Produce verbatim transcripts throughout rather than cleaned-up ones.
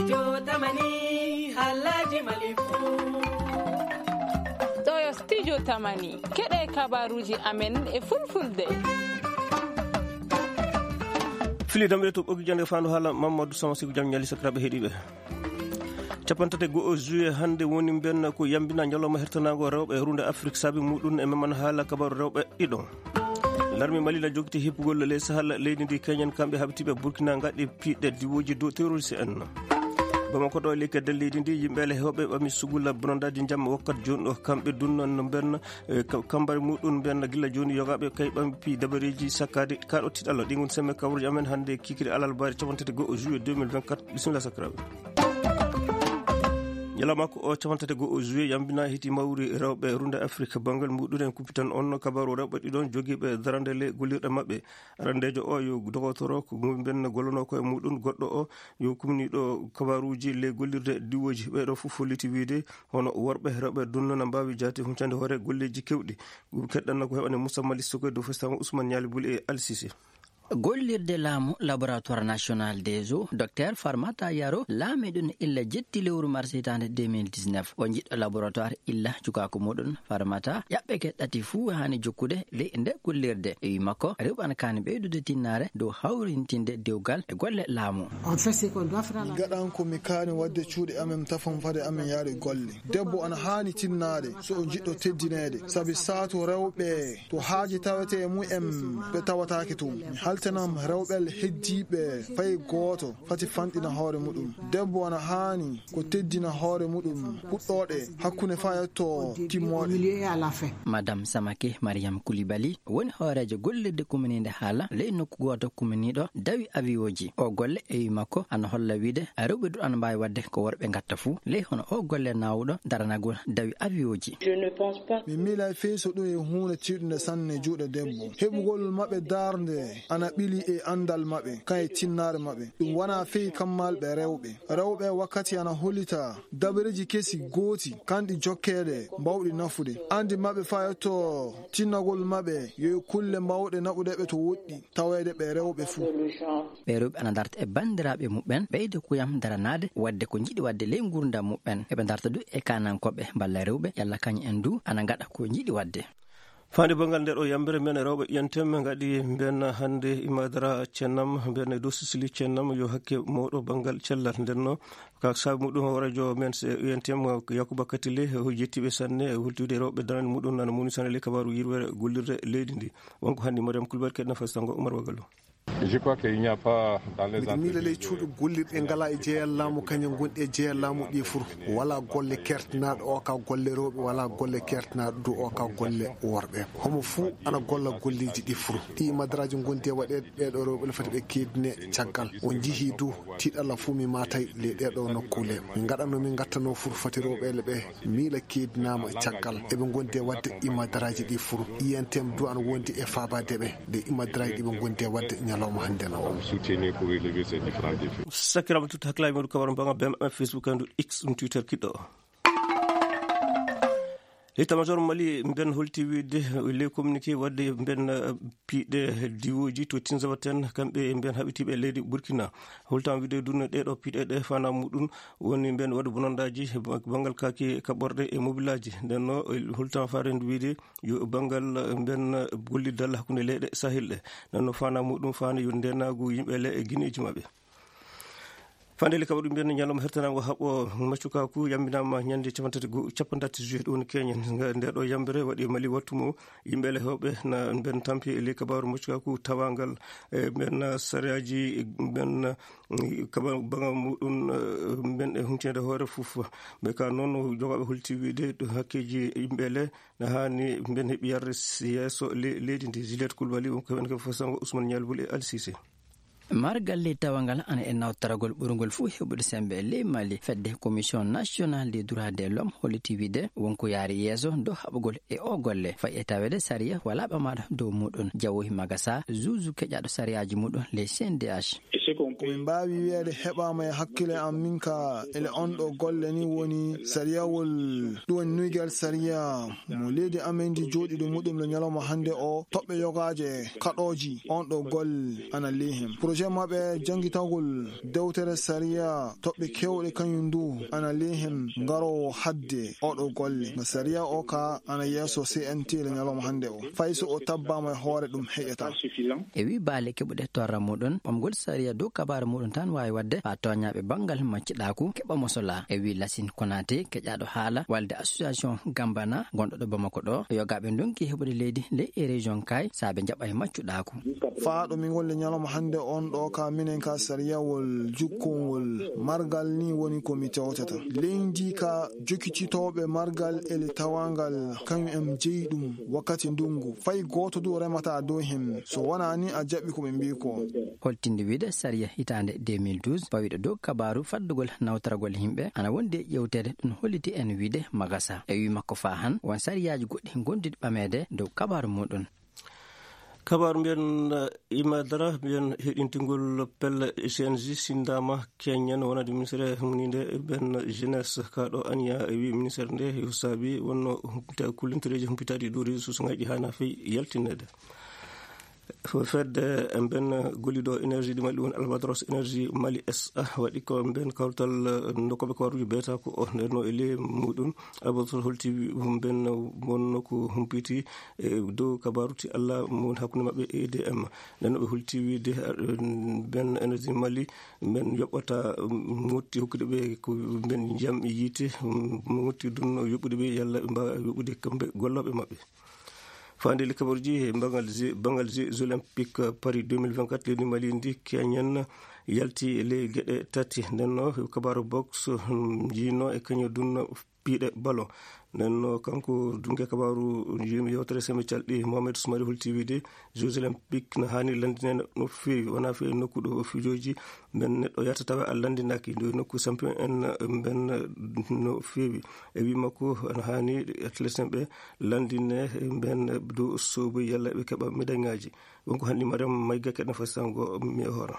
Jotamani, halaji malifu. Ɗo yo studio Tamani. Keɗe kabaruji amen e fulfulde. Fili damɓe to ɓoggi jande fandu hala Mamadou Sama Siku jam ñali sakiraɓe heɗiɓe. Capantati go'o juillet hannde woni mbenna ko yambina ñalawma hertanaango rewɓe e runde Afrik saabi muɗum e meman haala kabaru rewɓe ɗiɗo. Larmi Mali na jogiti hippugol ley Sahel leydi ndi Keñen kamɓe haɓitiiɓe Burkina ngaɗi piɗɗe diwooji dow terroriste en. Bamako ɗo e leydi leydi ndi yimɓe ale hewɓe ɓami sugula bonandaaji jamma wakkat jooni ɗo kamɓe dunnan no mbenna e ka-, kambari muɗum mbenna gila jooni yogaaɓe kay ɓami pi dabareeji sakkaade kaɗo tiɗalo ɗi ngon semme kawruji amen hannde kikiri alal bari capantati go'o juillet deux mille vingt-quatre. Bisimilla sakiraɓe. Ñalawma ko o capantati go'o juillet yambina hiti mawri rewɓe runde Afrique banngal muɗum en kuppitan on kabaru rewɓe ɗiɗon jogiiɓe darande le gollirɗe maɓɓe. Arandeejo o yo dogotoro ko mumben gollono ko e muɗum, goɗɗo o yo kumniɗo kabaruji le gollirde diwoji. Ɓeɗo fof holliti wiide hono worɓe rewɓe dunno na mbawi jaati huncande hoore golleji kewɗi. Ɗum keɗɗanno ko heɓane Moussa Mali Sokoy dow festango Ousmane Ñaali Buli e Al Sisi. Gollirde laamu Laboratoire National des Eaux, Docteur Farmata Yaro, laamiɗo no illa jetti lewru mars hitaande deux mille dix-neuf. O jiɗɗo laboratoire illa cukaaku muɗum Farmata, ƴaɓɓe ke ɗati fuu haani jokkude ley nde gollirde. E wi makko, rewɓe ana kaani ɓeydude tinnaare dow hawrintinde dewgal e golle laamu. On fait ce qu'on doit faire à la Min gaɗan ko mi kaani waɗde cuuɗi amen tafon fade amen yaade golle. Debbo ana haani tinnaade so o jiɗɗo teddineede, sabi saatu rewɓe to haaji tawete e mumen ɓe tawataake toon. Mi haltanam rewɓe heddiiɓe fay gooto fati fanɗina hoore muɗum. Debbo ana haani ko teddina hoore muɗum puɗɗooɗe hakkunde fayetto timmooɗe. Madame Samake Mariam Koulibaly woni hooreejo gollirde kumaniinde haala ley nokku gooto kumaniiɗo dawi avion ji. O golle e wi makko ana holla wiide rewɓe duɗ ana mbaawi waɗde ko worɓe ngatta fuu ley hono o golle naawuɗo daranagol dawi avion ji. Mi miilay fey so ɗum e huunde tiiɗunde sanne juuɗe debbo. Heɓugol maɓɓe darnde ana ɓili e anndal maɓɓe, kan e tinnaare maɓɓe. Ɗum wona fey kammalɓe rewɓe. Rewɓe wakkati ana hollita dabareeji kesi gooti, kanɗi jokkeede, mbawɗi nafude. Anndi maɓɓe fayotto tinnagol maɓɓe, yo e kulle mbawɗe naɓude ɓe to woɗɗi, taweede ɓe rewɓe fuu. Ɓe rewɓe ana darta e banndiraaɓe muɓɓen, ɓeyde kuyam daranaade, waɗde ko njiɗi waɗde ley nguurndam muɓɓen. Eɓe darta du e kaanankooɓe mballa rewɓe, yalla kañum en du ana ngaɗa ko njiɗi waɗde. Faande banngal nde ɗo yambere men rewɓe ƴentem ngaɗi mben hannde Imadara Cennam, mben dow Sisili Cennam yo hakke mawɗo banngal cellal. Nden no ka saabi muɗum hooreejo men se ƴentem Yakuba Katile, o yettiɓe sanne, hultude rewɓe daran muɗum nana muni sanne le kabaru yirwere gollirde leydi ndi. Wonko hannde Mariam Kulbal keɗna fastango Umar Wagalo. Je crois qu'il n'y a pas dans les Miɗo miila ley entreprises cuuɗi gollirɗe ngala e jeyal laamu, kañum gonɗi e jeyal laamu ɗi fur. Wala golle kertanaaɗo o ka golle rewɓe, wala golle kertanaaɗo du o ka golle worɓe. Homo fuu ana golla golleeji ɗi fur. Ɗi madaraaji ngondi e waɗeede ɓeeɗo rewɓe le fati ɓe keedine caggal. On jihii du tiiɗalla fuu mi maatay ley ɗeeɗo nokkuule. Min ngaɗanno min ngattanoo fur fati rewɓe le ɓe miila keedinaama caggal. Eɓe ngondi e waɗde imadaraaji ɗi fur. I N T M du ana wondi e faabaade ɓe nde imadaraaji ɗi ɓe ngondi e waɗde ñalawma hannde no o. Soutenir pour relever ces différents défis. Sakiraama tutta hakkilaaji muɗum kabaru mbaŋa bem e Facebook e ndu X ɗum Twitter kiɗɗo o. L'état-major Mali mben holti wiide ley communiqué waɗde mben, eh, piiɗe diwooji to Tinzabaten kamɓe mben haɓitiiɓe leydi Burkina. Holtan wiide dunno ɗeeɗo piiɗe ɗe fana muɗum woni mben waɗde bonandaaji banngal kaaki kaɓorɗe e mobilaaji. Nden no holtan faare ndu wiide yo banngal, eh, mben, eh, gollidal hakkunde leyɗe Sahel ɗe. Nden no fana muɗum fana yo ndenaagu yimɓe le e gineeji maɓɓe. Fandeli kaɓa ɗum mbiyen ñalawma hertanango haɓɓo maccukaku yambinama ñande capantati go-, capantati juillet ɗo woni keñen. Nga nde ɗo yambere waɗi Mali wattu mo yimɓe ele hewɓe na mben tampi e ley kabaru maccukaku tawangal e mben sariyaji mben kaba baŋa muɗum, eh, mben e huncede hoore fof. Ɓe ka noon jogaɓe holti wiide ɗo hakkeji yimɓe ele na hani mben heɓi yarde yeeso le-, leydi ndi. Juliette Coulibaly, wonko heɓen ko fasango Ousmane Nialboul e Al Cissé. Margal ley tawangal ana e nawtoragol ɓurngol fof heɓude sembe e ley Mali. Fedde Commission Nationale des Droits de l'Homme holliti wiide wonko yaari yeeso dow haɓugol e o golle. Fayi e taweede sariya wala ɓamaaɗo dow muɗum. Jawohi Magasa, zuzu keƴaaɗo sariyaaji muɗum ley C N D H. Ko min mbaawi wiyeede heɓaama e hakkille am min ka ele on ɗo golle ni woni sariyawol, ɗum woni nuygal sariya mo leydi amen ndi jooɗiiɗo muɗum le ñalawma hannde o, toɓɓe yogaaje kaɗooji on ɗo golle ana ley hen. Projet maɓɓe janngitagol dewtere sariya toɓɓe keewɗe kañum ndu ana ley hen ngaroowo hadde oɗo golle. Nga sariya o ka ana yeeso C N T le ñalawma hannde o. Fay so o tabbaama e hoore ɗum heƴata. E wii baale keɓuɗe torra muɗum, ɓamgol sariya dow kabaaru muɗum tan waawi waɗde haa tooñaaɓe banngal maccuɗaaku keɓa mosola. E wii Lasin Konaté, keƴaaɗo haala walde association Gambana, gonɗo ɗo Bamako ɗo, yogaaɓe ndonki heɓude leydi ley e région kay, saabe jaɓa e maccuɗaaku. Faa ɗo min ngonle ñalawma hannde on ɗo ka minen ka sariyawol jukkongol margal ni woni ko mi tewtata. Leydi ka jokkititooɓe margal ele tawangal kañum en jeyi ɗum wakkati ndungu. Fay gooto du remata dow hen. So wonaa ni a jaɓi ko ɓe mbii ko. Holtinde wiide sariya hitaande deux mille douze pawiɗo dow kabaaru faddugol nawtoragol yimɓe ana wondi e ƴewteede ɗum holliti en wiide magasa. E wii makko faa han won sariyaaji goɗɗi gondiɗi ɓameede dow kabaaru muɗum. Kabaaru mbiyen, eh, Imadara mbiyen heɗintingol pelle C N J sindaama keñen wonande ministre humninde ben jeunesse ka ɗo aniya e wi ministre nde yo saabi wonno humpita kullintoreeji humpitaaɗi ɗo réseau sociaux ngaji hana fey yaltinede. Fedde en ben golliɗo énergie du Mali woni Albatros Énergie Mali S A waɗi ko ben kawtal, eh, nokkoɓe kawaruji beeta ko o ndenno e ley muɗum. Albatros holti ben wonno ko humpiti e dow kabaru ti Allah mo woni hakkunde maɓɓe e E D M. Nden no ɓe holti wiide, eh, ben Energie Mali, ben yoɓata, mm, motti hokkude ɓe ko ben jam e yiite, mm, motti dunno yoɓude ɓe yalla ɓe mbaawa yoɓude kamɓe gollooɓe maɓɓe. Faande le kabaruji e bangal je-, bangal Jeux Olympiques Paris deux mille vingt-quatre, leydi Mali ndi keñen yalti e ley geɗe tati. Nden no kabaru box, mm, jiino e kañum dunno piiɗe ballon. Nden no kanko dunge kabaru yim-, yewtere semi calɗi Mohamed Soumari holti wiide Jeux Olympiques no haani lanndinede no feewi, wona feewi nokku ɗo fijoji men neɗɗo yahata tawa a lanndinaki. Nde nokku champion en ben no feewi. E wi makko no haani athlète en ɓe lanndine ben dow sobo yalla ɓe keɓa médaille ngaji. Wonko hanndi Mariam Mayga keɗen fasango mi e hoore.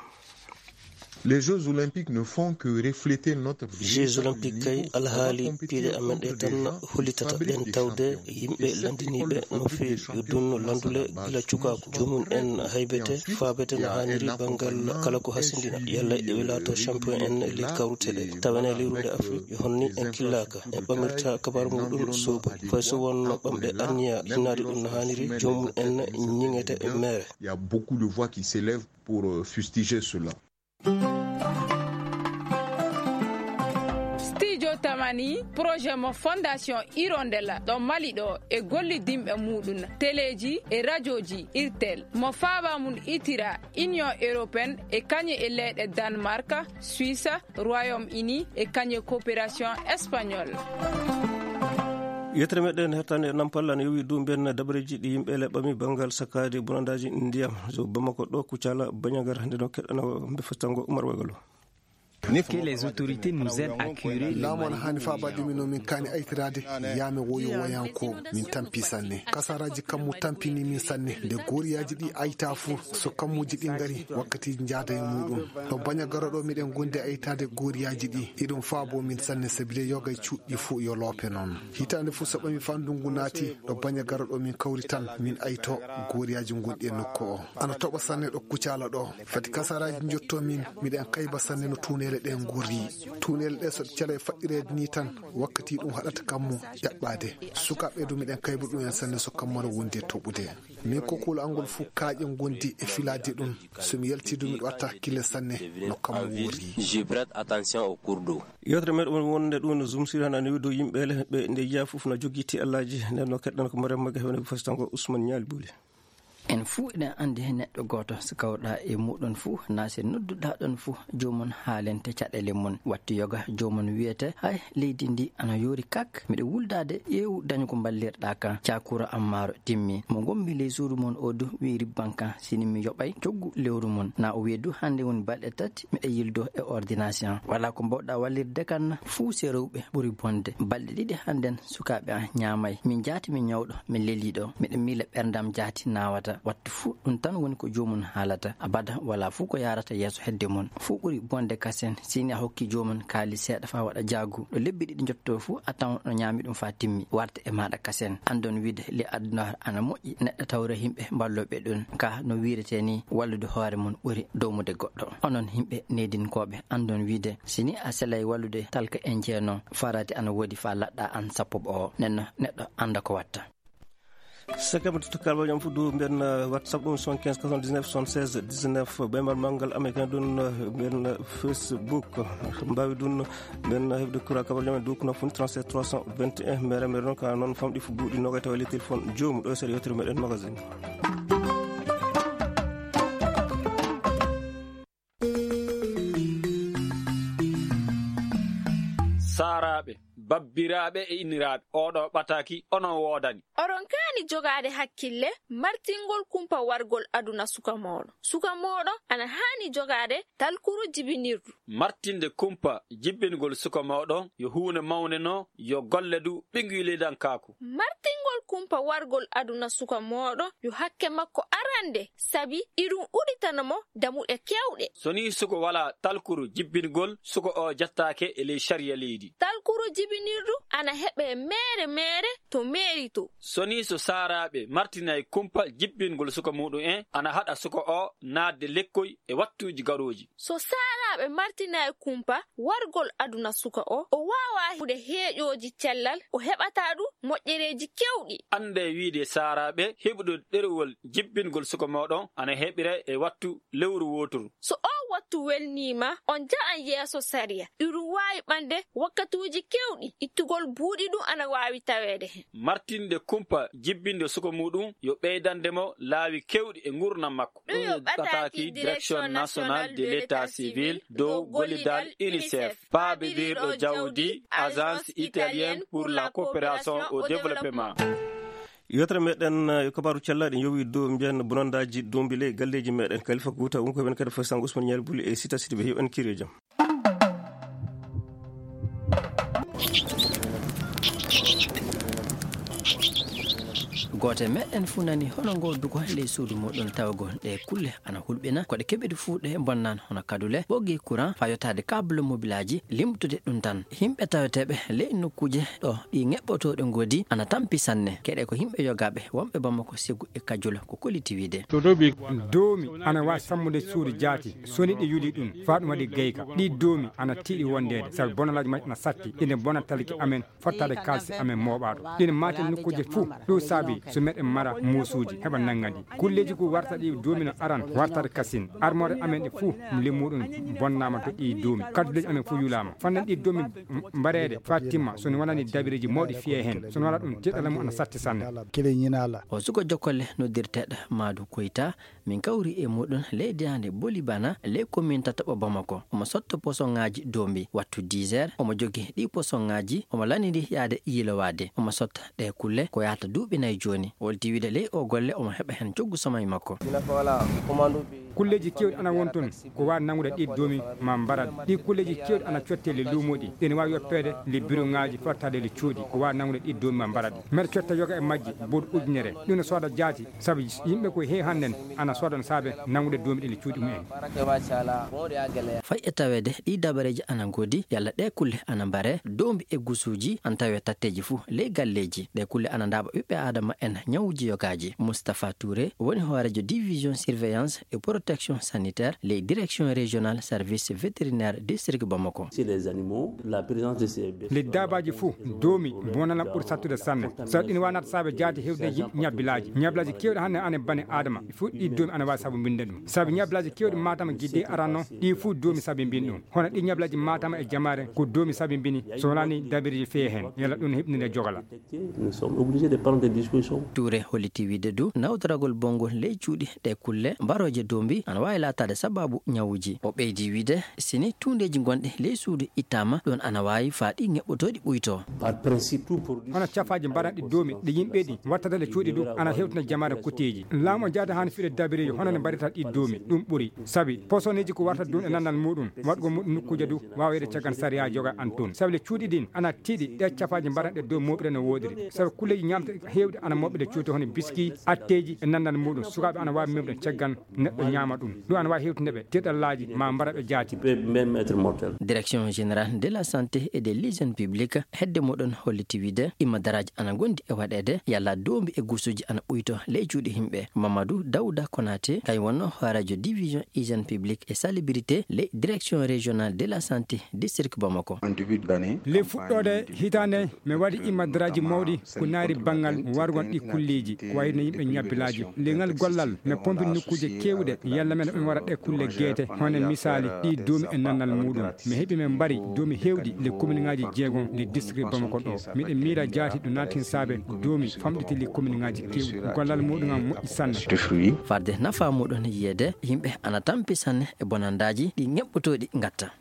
Les Jeux Olympiques ne font que refléter notre Jeux Olympiques kay alhaali piiɗe amen ɗe tan hollitata ɗen tawde yimɓe lanndiniiɓe no feewi yo dunno lanndule gila cukaaku. Joomum en haybete, faabete no haaniri banngal kala ko hasindina. Yalla e ɓe laato champion en e leydi kawrute ɗe. Tawa ene e leyru nde Afrique, yo honno en killaaka, en ɓamirta kabaru muɗum sobo. Fay so wonno ɓamɗe anniya hinnaade ɗum no haaniri, joomum en ñiŋete e meere. Il y a beaucoup de voix qui s'élèvent pour, euh, fustiger cela. Studio Tamani, projet mo Fondation Hirondelle ɗo Mali ɗo e gollidinɓe muɗum, teleji e rajoji Irtel, mo faaba mum itira Union Européenne e kañe e leyɗe Danemark, Suisse, Royaume-Uni e kañe coopération espagnole. Yettere meɗen hettande e Nampal ana yowi dow mbiyen dabareeji ɗi yimɓe leɓɓami banngal sakkaade bonandaaji ndiyam. So Bamako ɗo Kucala Bañagara nde no keɗɗana mbe festango Umar Wagalo. Que les autorités nous aident à curer les Laamu ana haani faabaade min no min kaani aytiraade, yaame woyo woyanko, min tampi sanne. Kasaraaji kammu tampini min sanne. Nde goriyaaji ɗi ayta fu, so kammuuji ɗi ngari, wakkati njaada e muɗum. Ɗo Bañagara ɗo miɗen gondi aytaade goriyaaji ɗi. Iɗum faabo min sanne sabi de yoga e cuuɗi fu yo loope noon. Hitaande fu so ɓami faa ndungu naati, ɗo Bañagara ɗo min kawri tan, min ayto goriyaaji gonɗi e nokku o. Ana toɓa sanne ɗo Kucala ɗo. Fati kasaraaji njotto min, miɗen kayba sanne no tuuneele ɗe ngorri. Tuuneele ɗe so ɗe cala e faɗɗireede ni tan, wakkati ɗum haɗata kammu ƴaɓɓaade. Sukaaɓe du miɗen kayba ɗum en sanne so kammu ana wondi e toɓude. Min ko kuula angol fu kaaƴe ngondi e filaade ɗum. So mi yalti du miɗo watta hakkille sanne no kammu worri. Je prête attention au cours d'eau. Yewtere meɗen won-, wonde ɗum no zumsiri hana newi dow yimɓe le, ɓe nde yiya fof no jogiti Allaaji, nden no keɗɗen ko Mariam Maga hewne ko fasitango Ousmane Ñaali Buli. En fuu eɗen anndi heen neɗɗo gooto, so kawɗaa e muuɗum fuu, naa so nodduɗaa ɗoon fuu, joomum haalante caɗeele mum. Wattu yoga, joomum wiyete, "Hay, leydi ndi ana yoori kak, miɗo wuldaade, ƴeewu dañu ko mballirɗaa kan." Cakura Ammaaro timmi. Mo ngonmi ley suudu mon o du wi'i ribban kan, sini mi yoɓay coggu lewru mon. Na o wi'i du, "Hannde woni balɗe tati, miɗo yildo e ordination. Walaa ko mbawɗaa wallirde kan na, fuu se rewɓe ɓuri bonde. Balɗe ɗiɗi hannden." Sukaaɓe am ñaamay. Min jaati mi ñawɗo, mi leliiɗo. Miɗo miila ɓerndam jaati naawata. Wattu fuu ɗum tan woni ko joomum haalata. Abada walaa fuu ko yaarata yeeso hedde mum. Fuu ɓuri bonde kasen, si ni a hokki joomum kaalis seeɗa faa waɗa jaagu. Ɗo lebbi ɗiɗi njottoo fuu, a tawan no ñaami ɗum faa timmi, warta e maaɗa kasen. Anndon wiide ley aduna ana moƴƴi neɗɗo tawra yimɓe mballooɓe ɗum. Ka no wiiretee ni, wallude hoore mum ɓuri dowmude goɗɗo. Onon yimɓe needinkooɓe, anndon wiide, si ni a selay wallude talka en jeeno, farati ana woodi faa laɗɗa an sappo o. Nenno neɗɗo annda ko watta. Sakkaɓe to kabaruuji am fof ɗo mbiyen, eh, WhatsApp ɗum soixante-quinze quatre-vingt-dix-neuf soixante-seize dix-neuf, ɓe mbaɗa manngal américain ɗum, eh, mbiyen, eh, Facebook. Mbaawi ɗum mbiyen, eh, heɓde kura kabaruuji am e dow ko nafuni trente-sept trois cent vingt et un. Mere mere noon ka noon famɗi fof buuɗi nogay tawa e ley téléphone joomum ɗo e seeɗa yewtere meɗen magazine. Saaraaɓe, babbiraaɓe e inniraaɓe, oɗo ɓataaki onon woodani. Oɗon kaani jogaade hakkille martingol kumpa wargol aduna suka mooɗon. Suka mooɗon ana haani jogaade talkuru jibinirdu. Martinde kumpa jibbingol suka mooɗon yo huunde mawnde no yo golle du ɓinngilidankaaku. Martingol kumpa wargol aduna suka mooɗon yo hakke makko arande, sabi iɗum udditana mo damuɗe keewɗe. So ni suka walaa talkuru jibbingol, suka o jattaake e ley sariya leydi. Talkuru jibinirdu ana heɓe meere meere to meeri to. So ni so saaraaɓe martinay kumpa jibbingol suka muɗum en, ana haɗa suka o naatde lekkoy e wattuuji garooji. So saaraaɓe martinay kumpa wargol aduna suka o, o waawaa heɓude heeƴooji cellal, o heɓataa du moƴƴereeji keewɗi. Annde wiide saaraaɓe heɓude ɗerewol jibbingol suka mooɗon ana heɓire e wattu lewru wooturu. So oo wattu welniima, on ja'an yeeso sariya. Iɗum waawi ɓande wakkatuuji keewɗi, ittugol buuɗi ɗum ana waawi taweede hen. Martinde kumpa jibbinde suka muɗum yo ɓeydande mo laawi keewɗi e ngurnam makko. Ɗum yo ɓataaki Direction Nationale de l'État Civil dow gollidal UNICEF, paabidiiɗo jawdi Agence Italienne pour la Coopération au Développement. Yewtere meɗen, eh, yo kabaaru cellal, ɗen yowi dow mbiyen bonandaaji doombi ley galleeji meɗen. Kalifa Kuuta, won ko ɓen kadi fof Sango Ousmane Ñaari Buli e Sita Sidibe, yo en kiir e jam. Gooto e meɗen fuu nani hono ngoo duko ley suudu muɗum tawgol ɗe kulle ana hulɓina. Ko ɗe keɓiɗi fuu ɗe bonnan hono kadule, ɓoggi courant, faa yottaade câble mobilaaji, limtude ɗum tan. Yimɓe taweteeɓe ley nokkuuje ɗo ɗi ŋeɓɓotooɗe ngoodi ana tampi sanne. Keɗe ko yimɓe yogaaɓe wonɓe Bamako, Segu e Kajula ko kolliti wiide. Doomi ana waawi sammude suudu jaati, so ni ɗi yuli ɗum, faa ɗum waɗi gayka. Ɗi doomi ana tiiɗi wondeede, sabi bonalaaji majji ana satti, ina bona talki amen, fottaade kaalisi amen mooɓaaɗo. Ɗin maate nokkuuje fuu, ɗum saabi so meɗen mara muusuuji, heɓa nanngandi. Kulleeji ko warta ɗi doomi no aran, wartaade kasin. Armoore amen ɗe fuu, limmuɗum bonnaama to ɗi doomi. Kadduleeji amen fuu yulaama. Fannan ɗi doomi mbareede faa timma, so ni wonani dabireeji mawɗi fiyee heen. So ni wona ɗum, tiiɗalla mum ana satti sanne. O suka jokkolle noddirteeɗo Maadu Koyta, min kawri e muɗum ley daande Bolibana, ley komin tataɓo Bamako. Omo sotta posoŋaaji doombi wattu dix heures. Omo jogi ɗi posoŋaaji, omo laniri yaade yiilowaade. Omo sotta ɗe kulle ko yahata duuɓi nayi jooni. Wolti wiide ley o golle omo heɓa heen coggu somay makko. Kulleeji keewɗi ana won toon ko waawi nanngude ɗi doomi maa mbarat. Ɗi kulleeji keewɗi ana cottee le luumooji, ɗi ne waawi yoppeede le biroŋaaji, fottaade le cuuɗi, ko waawi nanngude ɗi doomi maa mbarat. Mbeɗa cotta yoga e majji boɗ ujunere. Ɗum ne sooda jaati, sabu yimɓe ko heewi hannden ana sooda no saabe nanngude doomi ɗi le cuuɗi mumen. Fay e taweede ɗi dabareeji ana ngoodi, yalla ɗe kulle ana mbaree, doombi e gusuuji ana tawee tatteeji fuu ley galleeji. Ɗe kulle ana ndaaɓa ɓiɓɓe Aadama en ñawuuji yogaaji. Moustapha Touré woni hooreejo division surveillance et protection sanitaire ley direction régionale service vétérinaire district Bamako. Chez les animaux, la présence de ces bêtes. Ley daabaaji fuu, doomi bonana ɓuri sattude sanne. So ɗin waɗnaata saabe jaati heewde yi-, ñabbilaaji. Ñabbilaaji keewɗi hannde ana bane Aadama. Fuu ɗi doomi ana waawi sabu mbinde ɗum. Sabu ñabbilaaji keewɗi Matam gidde aranno, ɗi fuu doomi sabi mbin ɗum. Hono ɗi ñabbilaaji Matam e Jamaare ko doomi sabi mbini, so wonani dabireeji fee heen. Yalla ɗum heɓninde jogala. Nous sommes obligés de prendre des dispositions. Touré holliti wiide du nawtoragol bonngol ley cuuɗi ɗe kulle mbarooje doombi ana waawi laataade sababu ñawuuji. O ɓeydi wiide, si ni tuundeeji gonɗi ley suudu ittaama, ɗum ana waawi faa ɗi ŋeɓɓotooɗi ɓuytoo. Par principe, tout produit. Hono cafaaji mbaranɗi doomi ɗi yimɓe ɗi wattata le cuuɗi du ana hewtina jamaare kuteeji. Laamu o jaada haani fiɗe dabireeji hono ne mbarata ɗi doomi, ɗum ɓuri. Sabi posoneeji ko warta ɗum e nanndal muɗum, waɗgol muɗum nokkuuje du waawede caggal sariya joga an toon. Sabi le cuuɗi ɗin ana tiiɗi ɗe cafaaji mbaranɗe dow mooɓre no woodiri. Sabi kulleeji ñaamte heewɗi ana Ɓe cuuta hono biski, atteeji e nannal muɗum. Sukaaɓe ana waawi memde caggal neɗɗo ñaama ɗum. Ɗum ana waawi hewtinde ɓe teɗallaaji ma mbara ɓe jaati. Direction générale de la santé et de l'hygiène publique hedde muɗum holliti wiide imma daraaji ana ngondi e waɗeede yalla doombi e gusuuji ana ɓuyto ley cuuɗi himɓe. Mamadou Dawda Konaté kay wonno hooreejo division hygiène publique et salubrité ley direction régionale de la santé district Bamako. Ley fuɗɗoode hitaande mi waɗi imma daraaji mawɗi ko naari banngal wargon ɗi kulleeji ko wayno yimɓe ñabbilaaji. Leŋal gollal mi pompi nokkuuje keewɗe yalla men ɓe wara ɗe kulle geete hono misaali ɗi doomi e nannal muɗum. Mi heɓi men mbari doomi heewɗi le commune ŋaaji jeegom le district Bamako ɗo. Miɗen miira jaati ɗo naatin saabe doomi famɗiti le commune ŋaaji keewɗi. Gollal muɗum am moƴƴi sanne. Farde nafa muɗum yiyeede yimɓe ana tampi sanne e bonandaaji ɗi ŋeɓɓotooɗi ngatta.